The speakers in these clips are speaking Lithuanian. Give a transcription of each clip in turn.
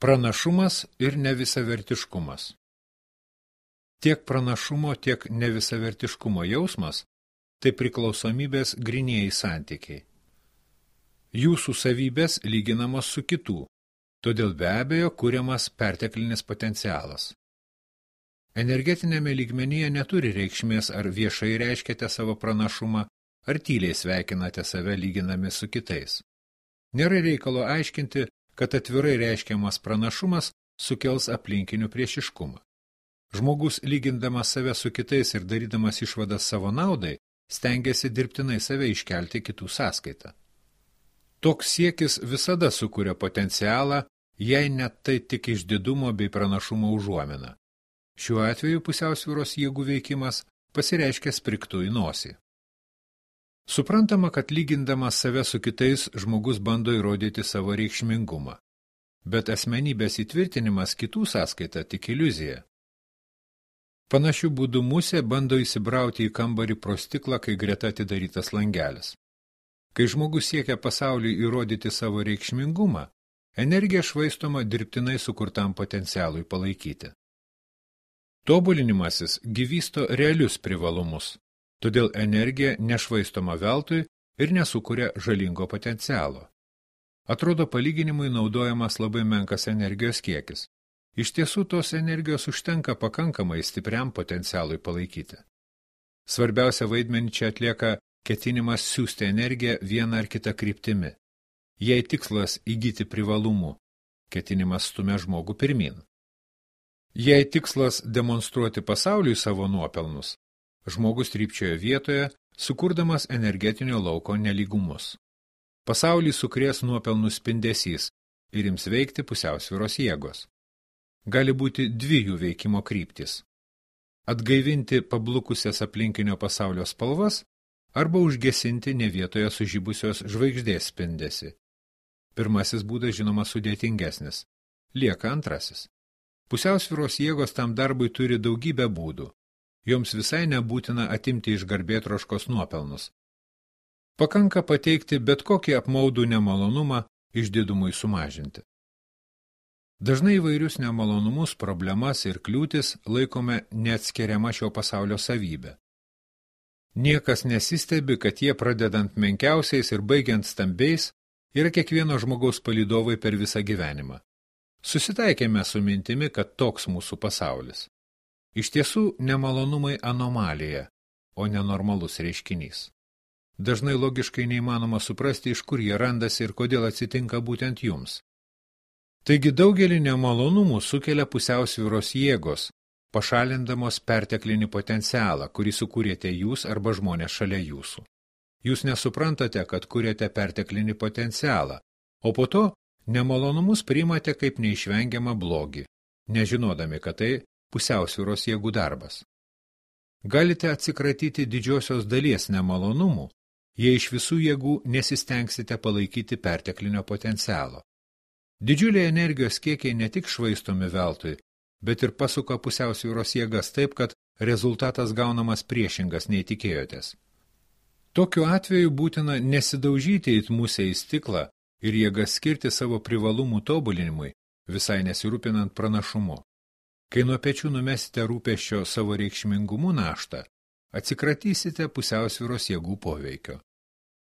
Pranašumas ir nevisavertiškumas. Tiek pranašumo, tiek nevisavertiškumo jausmas – tai priklausomybės grynieji santykiai. Jūsų savybės lyginamos su kitų, todėl be abejo kuriamas perteklinis potencialas. Energetinėme lygmenyje neturi reikšmės, ar viešai reiškiate savo pranašumą, ar tyliai sveikinate save lyginami su kitais. Nėra reikalo aiškinti, kad atvirai reiškiamas pranašumas sukels aplinkinių priešiškumą. Žmogus, lygindamas save su kitais ir darydamas išvadas savo naudai, stengiasi dirbtinai save iškelti kitų sąskaitą. Toks siekis visada sukuria potencialą, jei net tai tik išdidumo bei pranašumo užuomina. Šiuo atveju pusiausvyros jėgų veikimas pasireiškia sprigtu į nosį. Suprantama, kad lygindamas save su kitais, žmogus bando įrodyti savo reikšmingumą. Bet asmenybės įtvirtinimas kitų sąskaita tik iliuzija. Panašiu būdu musė bando įsibrauti į kambarį pro stiklą, kai greta atidarytas langelis. Kai žmogus siekia pasauliui įrodyti savo reikšmingumą, energija švaistoma dirbtinai sukurtam potencialui palaikyti. Tobulinimasis gyvysto realius privalumus, todėl energija nešvaistoma veltui ir nesukuria žalingo potencialo. Atrodo, palyginimui naudojamas labai menkas energijos kiekis. Iš tiesų, tos energijos užtenka pakankamai stipriam potencialui palaikyti. Svarbiausia vaidmenį čia atlieka ketinimas siųsti energiją vieną ar kitą kryptimi. Jei tikslas įgyti privalumų, ketinimas stumia žmogų pirmin. Jei tikslas demonstruoti pasauliui savo nuopelnus, žmogus trypčioja vietoje, sukurdamas energetinio lauko nelygumus. Pasaulį sukrės nuopelnų spindesys ir ims veikti pusiausvyros jėgos. Gali būti dvi jų veikimo kryptys. Atgaivinti pablukusias aplinkinio pasaulio spalvas arba užgesinti ne vietoje sužibusios žvaigždės spindesį. Pirmasis būdas žinoma sudėtingesnis. Lieka antrasis. Pusiausvyros jėgos tam darbui turi daugybę būdų. Joms visai nebūtina atimti iš garbėtroškos nuopelnus. Pakanka pateikti bet kokį apmaudų nemalonumą išdidumui sumažinti. Dažnai įvairius nemalonumus, problemas ir kliūtis laikome neatskiriama šio pasaulio savybė. Niekas nesistebi, kad jie pradedant menkiausiais ir baigiant stambiais yra kiekvieno žmogaus palydovai per visą gyvenimą. Susitaikėme su mintimi, kad toks mūsų pasaulis. Iš tiesų, nemalonumai anomalija, o nenormalus reiškinys. Dažnai logiškai neįmanoma suprasti, iš kur jie randasi ir kodėl atsitinka būtent jums. Taigi daugelį nemalonumų sukelia pusiausvyros jėgos, pašalindamos perteklinį potencialą, kurį sukūrėte jūs arba žmonės šalia jūsų. Jūs nesuprantate, kad kūrėte perteklinį potencialą, o po to nemalonumus priimate kaip neišvengiamą blogį, nežinodami, kad tai pusiausvyros jėgų darbas. Galite atsikratyti didžiosios dalies nemalonumų, jei iš visų jėgų nesistengsite palaikyti perteklinio potencialo. Didžiuliai energijos kiekiai ne tik švaistomi veltui, bet ir pasuka pusiausvyros jėgas taip, kad rezultatas gaunamas priešingas nei tikėjotės. Tokiu atveju būtina nesidaužyti it musę į stiklą ir jėgas skirti savo privalumų tobulinimui, visai nesirūpinant pranašumu. Kai nuo pečių numesite rūpesčio savo reikšmingumu naštą, atsikratysite pusiausvyros jėgų poveikio.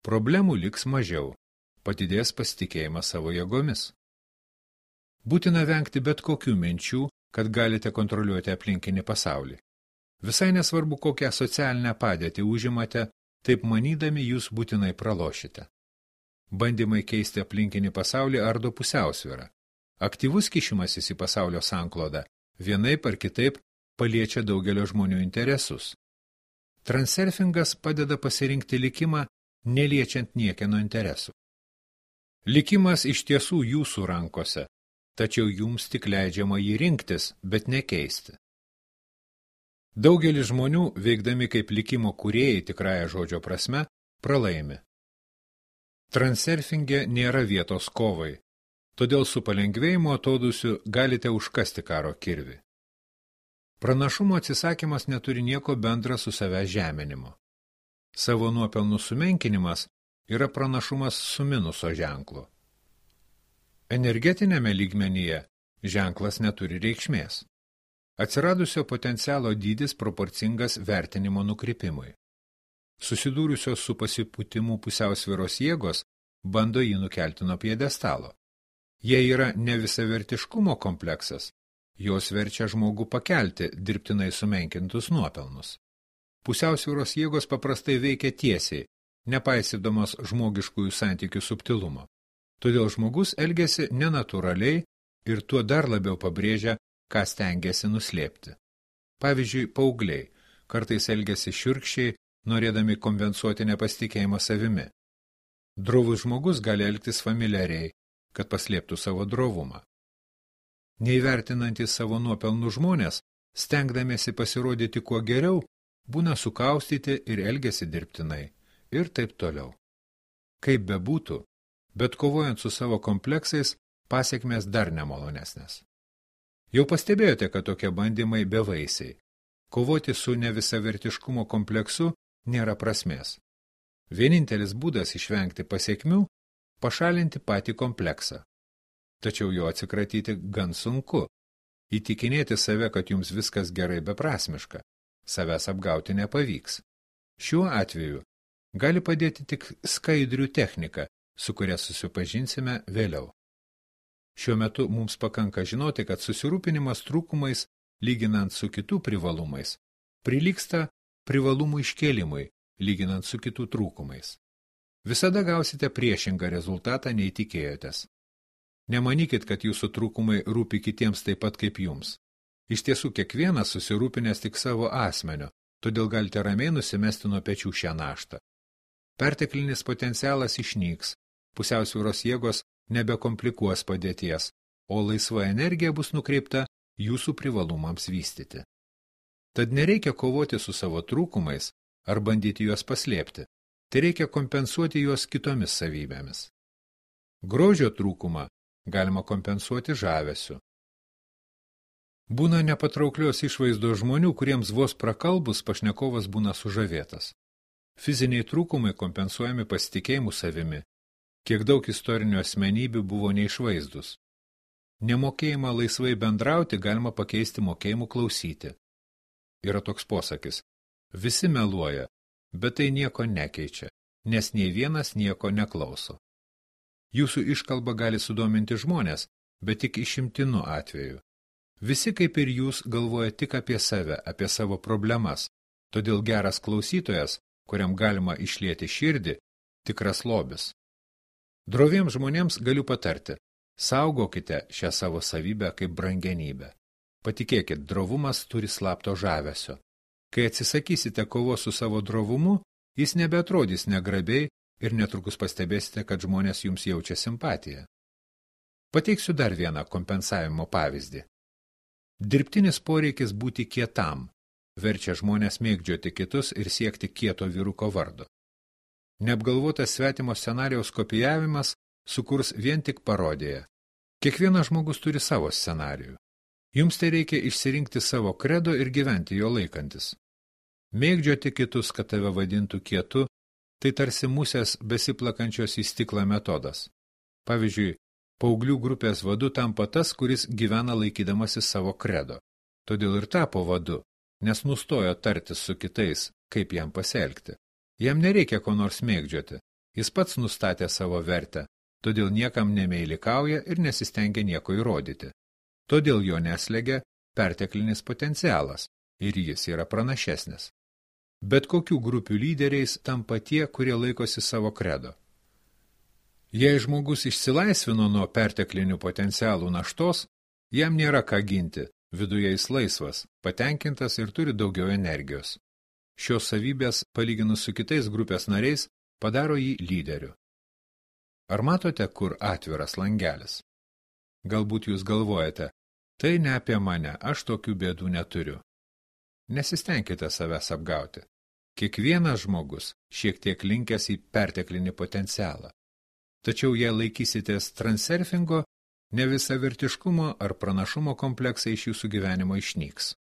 Problemų liks mažiau, padidės pasitikėjimas savo jėgomis. Būtina vengti bet kokių minčių, kad galite kontroliuoti aplinkinį pasaulį. Visai nesvarbu, kokią socialinę padėtį užimate, taip manydami jūs būtinai pralošite. Bandymai keisti aplinkinį pasaulį ardo pusiausvyrą. Aktyvus kišimasis į pasaulio sanklodą vienaip ar kitaip paliečia daugelio žmonių interesus. Transurfingas padeda pasirinkti likimą, neliečiant niekieno interesų. Likimas iš tiesų jūsų rankose, tačiau jums tik leidžiama jį rinktis, bet nekeisti. Daugelis žmonių, veikdami kaip likimo kūrėjai tikrąja žodžio prasme, pralaimi. Transurfinge nėra vietos kovai, todėl su palengvėjimo atodūsiu galite užkasti karo kirvį. Pranašumo atsisakymas neturi nieko bendra su savęs žeminimu. Savo nuopelnų sumenkinimas yra pranašumas su minuso ženklu. Energetinėme lygmenyje ženklas neturi reikšmės. Atsiradusio potencialo dydis proporcingas vertinimo nukrypimui. Susidūrusios su pasipūtimu pusiausvyros jėgos bando jį nukelti nuo pjedestalo. Jei yra nevisavertiškumo kompleksas, jos verčia žmogų pakelti dirbtinai sumenkintus nuopelnus. Pusiausvyros jėgos paprastai veikia tiesiai, nepaisydamos žmogiškųjų santykių subtilumo. Todėl žmogus elgiasi nenatūraliai ir tuo dar labiau pabrėžia, ką stengiasi nuslėpti. Pavyzdžiui, paaugliai kartais elgiasi šiurkščiai, norėdami kompensuoti nepasitikėjimą savimi. Drovus žmogus gali elgtis familiariai, kad paslėptų savo drovumą. Neįvertinantys savo nuopelnų žmonės, stengdamiesi pasirodyti kuo geriau, būna sukaustyti ir elgiasi dirbtinai, ir taip toliau. Kaip bebūtų, bet kovojant su savo kompleksais, pasekmės dar nemalonesnės. Jau pastebėjote, kad tokie bandymai bevaisiai. Kovoti su nevisavertiškumo kompleksu nėra prasmės. Vienintelis būdas išvengti pasekmių – pašalinti patį kompleksą. Tačiau jo atsikratyti gan sunku. Įtikinėti save, kad jums viskas gerai beprasmiška. Savęs apgauti nepavyks. Šiuo atveju gali padėti tik skaidrių technika, su kuria susipažinsime vėliau. Šiuo metu mums pakanka žinoti, kad susirūpinimas trūkumais, lyginant su kitų privalumais, prilygsta privalumų iškėlimui, lyginant su kitų trūkumais. Visada gausite priešingą rezultatą, nei tikėjotės. Nemanykit, kad jūsų trūkumai rūpi kitiems taip pat kaip jums. Iš tiesų, kiekvienas susirūpinęs tik savo asmenio, todėl galite ramiai nusimesti nuo pečių šią naštą. Perteklinis potencialas išnyks, pusiausvyros jėgos nebekomplikuos padėties, o laisva energija bus nukreipta jūsų privalumams vystyti. Tad nereikia kovoti su savo trūkumais ar bandyti juos paslėpti, tai reikia kompensuoti juos kitomis savybėmis. Grožio trūkumą galima kompensuoti žavesiu. Būna nepatrauklios išvaizdos žmonių, kuriems vos prakalbus pašnekovas būna sužavėtas. Fiziniai trūkumai kompensuojami pasitikėjimu savimi. Kiek daug istorinių asmenybių buvo neišvaizdus. Nemokėjimą laisvai bendrauti galima pakeisti mokėjimu klausyti. Yra toks posakis: visi meluoja, bet tai nieko nekeičia, nes nei vienas nieko neklauso. Jūsų iškalba gali sudominti žmonės, bet tik išimtinu atveju. Visi kaip ir jūs galvoja tik apie save, apie savo problemas, todėl geras klausytojas, kuriam galima išlieti širdį, tikras lobis. Droviems žmonėms galiu patarti, saugokite šią savo savybę kaip brangenybę. Patikėkit, drovumas turi slapto žavesio. Kai atsisakysite kovos su savo drovumu, jis nebeatrodys negrabiai ir netrukus pastebėsite, kad žmonės jums jaučia simpatiją. Pateiksiu dar vieną kompensavimo pavyzdį. Dirbtinis poreikis būti kietam verčia žmonės mėgdžioti kitus ir siekti kieto vyruko vardo. Neapgalvotas svetimo scenarijaus kopijavimas sukurs vien tik parodiją. Kiekvienas žmogus turi savo scenarijų. Jums tai reikia išsirinkti savo kredo ir gyventi jo laikantis. Mėgdžioti kitus, kad tave vadintų kietu, tai tarsi musės besiplakančios į stiklą metodas. Pavyzdžiui, paauglių grupės vadu tampa tas, kuris gyvena laikydamasis savo kredo. Todėl ir tapo vadu, nes nustojo tartis su kitais, kaip jam pasielgti. Jam nereikia ko nors mėgdžioti, jis pats nustatė savo vertę, todėl niekam nemeilikauja ir nesistengia nieko įrodyti. Todėl jo neslegia perteklinis potencialas ir jis yra pranašesnis. Bet kokių grupių lyderiais tampa tie, kurie laikosi savo kredo. Jei žmogus išsilaisvino nuo perteklinių potencialų naštos, jam nėra ką ginti, viduje jis laisvas, patenkintas ir turi daugiau energijos. Šios savybės, palyginus su kitais grupės nariais, padaro jį lyderiu. Ar matote, kur atviras langelis? Galbūt jūs galvojate, tai ne apie mane, aš tokių bėdų neturiu. Nesistengkite savęs apgauti. Kiekvienas žmogus šiek tiek linkęs į perteklinį potencialą. Tačiau jei laikysitės transurfingo, nevisavertiškumo ar pranašumo kompleksai iš jūsų gyvenimo išnyks.